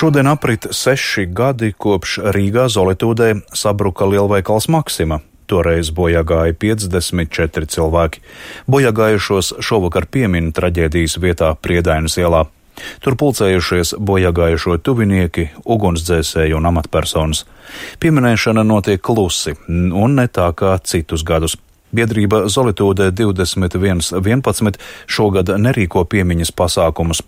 Šodien aprit 6 gadi, kopš Rīgā Zolitūdē sabruka lielveikals Maksima. Toreiz bojāgāja 54 cilvēki. Bojāgājušos šovakar piemin traģēdijas vietā Priedainas ielā. Tur pulcējušies bojāgājušo tuvinieki, ugunsdzēsēji un amatpersonas. Pieminēšana notiek klusi un ne tā kā citus gadus. Biedrība Zolitūdē 2111 šogad nerīko piemiņas pasākumus.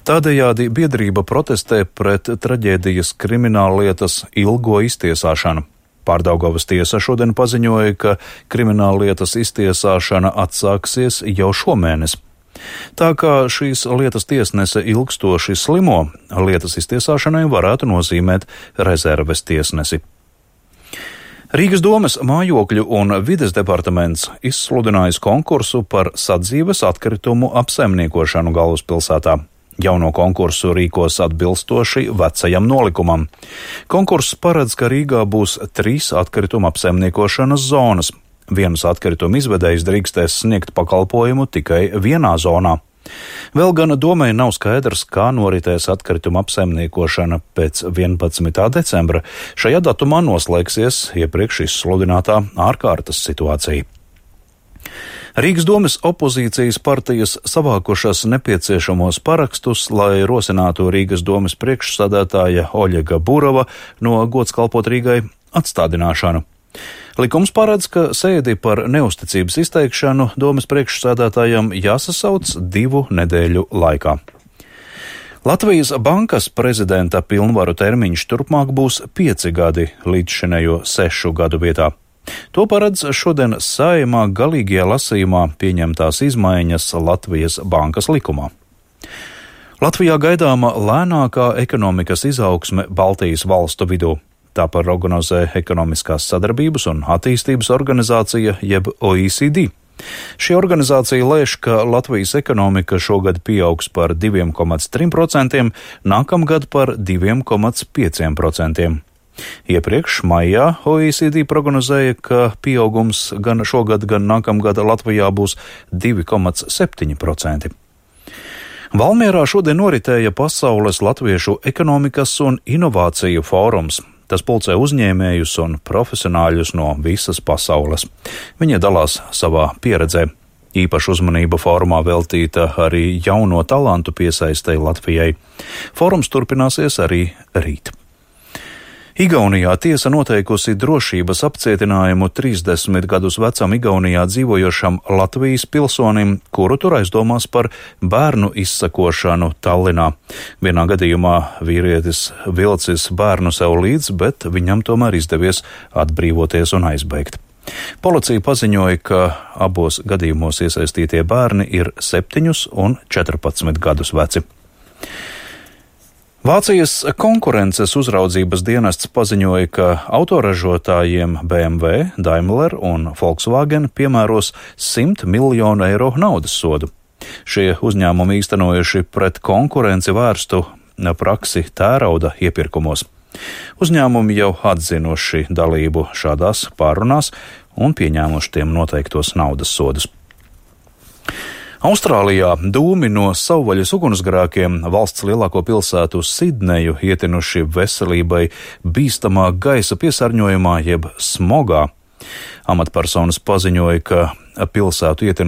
Tādējādi biedrība protestē pret traģēdijas krimināllietas ilgo iztiesāšanu. Pārdaugavas tiesa šodien paziņoja, ka krimināllietas iztiesāšana atsāksies jau šomēnes. Tā kā šīs lietas tiesnese ilgstoši slimo, lietas iztiesāšanai varētu nozīmēt rezerves tiesnesi. Rīgas domes mājokļu un vides departaments izsludinājis konkursu par sadzīves atkritumu apsaimniekošanu galvaspilsētā. Jauno konkursu rīkos atbilstoši vecajam nolikumam. Konkurss paredz, ka Rīgā būs 3 atkrituma apsaimniekošanas zonas. Vienas atkrituma izvedējs drīkstēs sniegt pakalpojumu tikai vienā zonā. Vēl gan domai nav skaidrs, kā noritēs atkrituma apsaimniekošana pēc 11. decembra. Šajā datumā noslēgsies iepriekš izsludinātā ārkārtas situācija. Rīgas domes opozīcijas partijas savākušas nepieciešamos parakstus, lai rosinātu Rīgas domes priekšsādātāja Oļega Burova no gods kalpot Rīgai atstādināšanu. Likums paredz, ka sēdi par neusticības izteikšanu domes priekšsēdētājam jāsasauc 2 nedēļu laikā. Latvijas bankas prezidenta pilnvaru termiņš turpmāk būs 5 gadi līdzšinējo 6 gadu vietā. To paredz šodien Saeimā galīgajā lasījumā pieņemtās izmaiņas Latvijas bankas likumā. Latvijā gaidāma lēnākā ekonomikas izaugsme Baltijas valstu vidū. Tā prognozē Ekonomiskās sadarbības un attīstības organizācija jeb OECD. Šī organizācija lēš, ka Latvijas ekonomika šogad pieaugs par 2,3%, nākamgad par 2,5%. Iepriekš maijā OECD prognozēja, ka pieaugums gan šogad, gan nākamgad Latvijā būs 2,7%. Valmierā šodien noritēja Pasaules latviešu ekonomikas un inovāciju fórums. Tas pulcē uzņēmējus un profesionāļus no visas pasaules. Viņi dalās savā pieredzē. Īpaša uzmanība fórumā veltīta arī jauno talantu piesaistei Latvijai. Fórums turpināsies arī rīt. Igaunijā tiesa noteikusi drošības apcietinājumu 30 gadus vecam Igaunijā dzīvojošam Latvijas pilsonim, kuru tur aizdomās par bērnu izsakošanu Tallinā. Vienā gadījumā vīrietis vilcis bērnu sev līdz, bet viņam tomēr izdevies atbrīvoties un aizbēgt. Policija paziņoja, ka abos gadījumos iesaistītie bērni ir 7 un 14 gadus veci. Vācijas konkurences uzraudzības dienests paziņoja, ka autoražotājiem BMW, Daimler un Volkswagen piemēros 100 miljonu eiro naudas sodu. Šie uzņēmumi īstenojuši pret konkurenci vērstu praksi tērauda iepirkumos. Uzņēmumi jau atzinuši dalību šādās pārunās un pieņēmuši tiem noteiktos naudas sodus. Austrālijā dūmi no savvaļas ugunsgrēkiem valsts lielāko pilsētu Sidneju ietinuši veselībai bīstamā gaisa piesārņojumā jeb smogā. Amatpersonas paziņoja, ka pilsētu ietinuši